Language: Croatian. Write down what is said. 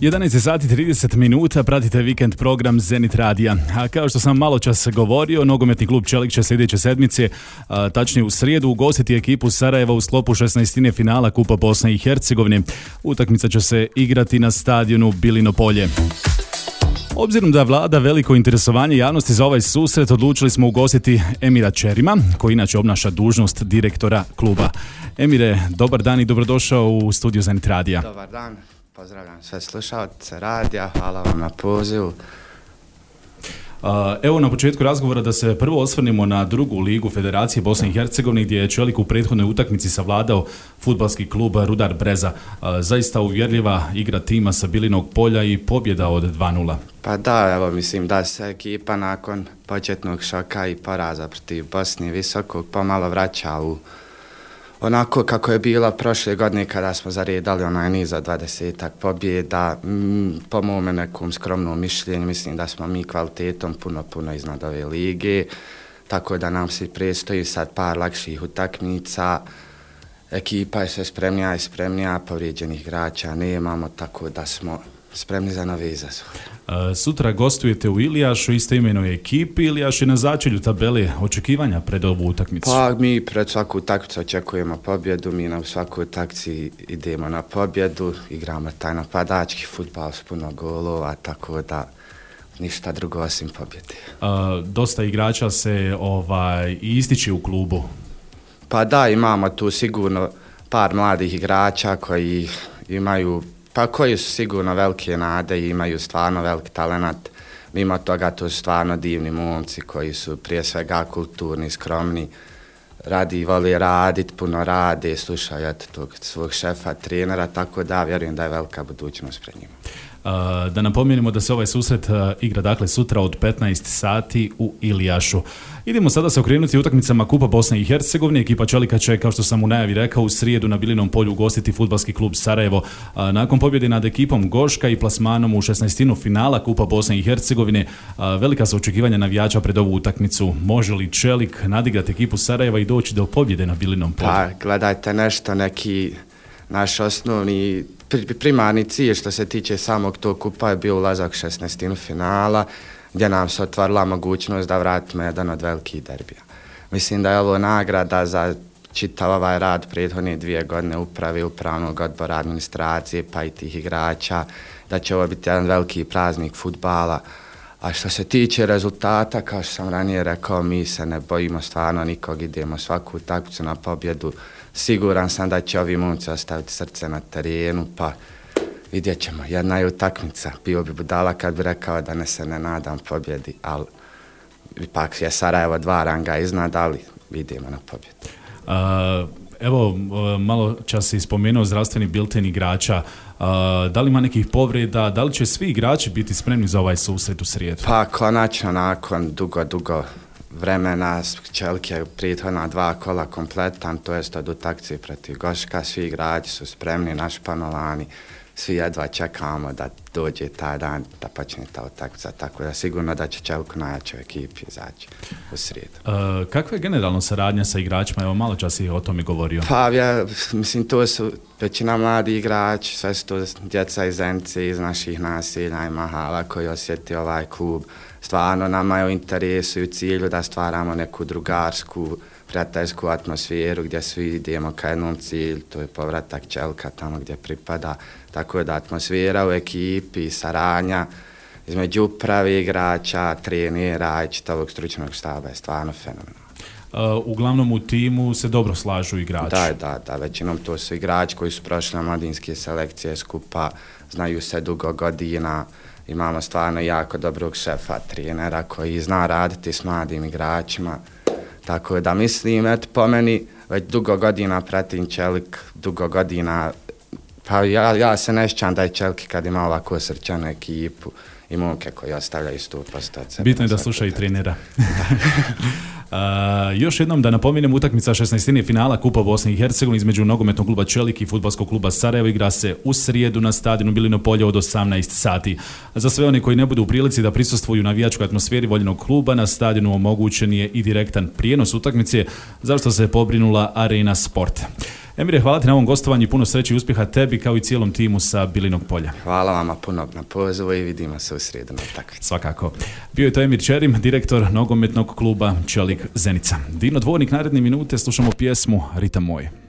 11 sati 30 minuta, pratite vikend program Zenit Radija. A kao što sam malo čas govorio, nogometni klub Čelik će sljedeće sedmice, tačnije u srijedu, ugostiti ekipu Sarajeva u sklopu 16. finala Kupa Bosne i Hercegovine. Utakmica će se igrati na stadionu Bilino Polje. Obzirom da vlada veliko interesovanje javnosti za ovaj susret, odlučili smo ugostiti Emira Čerima, koji inače obnaša dužnost direktora kluba. Emire, dobar dan i dobrodošao u studiju Zenit Radija. Dobar dan. Pozdravljam sve slušalce radija, hvala vam na pozivu. Evo na početku razgovora da se prvo osvrnemo na drugu ligu Federacije Bosne i Hercegovine, gdje je Čelik u prethodnoj utakmici savladao fudbalski klub Rudar Breza. Zaista uvjerljiva igra tima sa Bilinog polja i pobjeda od 2:0. Pa da, evo mislim da se ekipa nakon početnog šoka i poraza protiv Bosne Visokog pomalo vraća u onako kako je bilo prošle godine kada smo zaredali onaj niz od 20 pobjeda. Po mome nekom skromnom mišljenju mislim da smo mi kvalitetom puno iznad ove lige, tako da nam se predstoji sad par lakših utakmica. Ekipa je sve spremnija, povrijeđenih igrača nemamo, tako da smo spremni za nove izazove. Sutra gostujete u Ilijašu, istoimenoj ekipi. Ilijaš je na začelju tabele, očekivanja pred ovu utakmicu. Pa mi pred svaku utakmicu očekujemo pobjedu, mi na svakoj utakmici idemo na pobjedu, igramo taj napadački fudbal s puno golova, tako da ništa drugo osim pobjede. Dosta igrača se ističe u klubu. Pa da, imamo tu sigurno par mladih igrača koji su sigurno velike nade i imaju stvarno veliki talenat. Mimo toga to su stvarno divni momci koji su prije svega kulturni, skromni, vole raditi, puno rade, slušaju tog svog šefa, trenera, tako da vjerujem da je velika budućnost pred njima. Da napomenemo da se ovaj susret igra dakle sutra od 15 sati u Ilijašu. Idemo sada se okrenuti utakmicama Kupa Bosne i Hercegovine. Ekipa Čelika će, kao što sam u najavi rekao, u srijedu na Bilinom polju ugostiti fudbalski klub Sarajevo. Nakon pobjede nad ekipom Goška i plasmanom u 16. finala Kupa Bosne i Hercegovine, velika su očekivanja navijača pred ovu utakmicu. Može li Čelik nadigrati ekipu Sarajeva i doći do pobjede na Bilinom polju? Pa gledajte nešto, neki naš osnovni primarni cilj što se tiče samog tog kupa je bio ulazak 16. finala, gdje nam se otvorila mogućnost da vratimo jedan od velikih derbija. Mislim da je ovo nagrada za čitav ovaj rad prethodne 2 godine uprave, upravnog odbora, administracije pa i tih igrača, da će ovo biti jedan veliki praznik fudbala. A što se tiče rezultata, kao što sam ranije rekao, mi se ne bojimo stvarno nikog, idemo svaku utakmicu na pobjedu. Siguran sam da će ovi momci ostaviti srce na terenu, pa vidjet ćemo. Jedna je utakmica. Bio bi budala kad bi rekao da se ne nadam pobjedi, ali ipak je Sarajevo 2 ranga iznad, ali idemo na pobjedu. Evo, malo čas si spomenuo zdravstveni bilten igrača. Da li ima nekih povreda? Da li će svi igrači biti spremni za ovaj susret u srijedu? Pa konačno nakon dugo vremena Čelik je prethodna 2 kola kompletan, to jest od utakmice protiv Goška, svi igrači su spremni, našpanovani, svi jedva čekamo da dođe taj dan, da počne ta utakmica, tako da sigurno da će Čelik najjačoj ekipi izaći u srijedu. Kakva je generalno saradnja sa igračima? Evo, malo čas si o tome govorio. Pa mislim, to su većina mladi igrači, sve su to djeca iz Zenice, iz naših naselja i mahala koji osjeti ovaj klub. Stvarno nama je u interesu i u cilju da stvaramo neku drugarsku, prijateljsku atmosferu gdje svi idemo ka jednom cilju, to je povratak Čelika tamo gdje pripada. Tako da atmosfera u ekipi, saradnja između uprave igrača, trenera i čitavog stručnog štaba je stvarno fenomenalna. Uglavnom u timu se dobro slažu igrači. Da, većinom to su igrači koji su prošli na mladinske selekcije skupa, znaju se dugo godina. Imamo stvarno jako dobrog šefa, trenera koji zna raditi s mladim igračima. Tako da mislim, po meni već dugo godina pratim Čelik, dugo godina, pa ja se ne sjećam da je Čelik kad ima ovako srčanu ekipu i momke koji ostavljaju 100% od sebe. Bitno je da sluša i trenera. Još jednom da napomenem, utakmica 16. finala Kupa Bosne i Hercegovine između nogometnog kluba Čelik i fudbalskog kluba Sarajevo igra se u srijedu na stadionu Bilino polje od 18 sati. Za sve one koji ne budu u prilici da prisustvuju navijačkoj atmosferi voljenog kluba, na stadionu omogućen je i direktan prijenos utakmice, za što se pobrinula Arena Sport. Emire, hvala ti na ovom gostovanju i puno sreće i uspjeha tebi kao i cijelom timu sa Bilinog polja. Hvala vama puno na pozivu i vidimo se u srijedu na utakmici. Svakako. Bio je to Emir Čerim, direktor nogometnog kluba Čelik Zenica. Dino Dvornik, naredne minute slušamo pjesmu Ritam moj.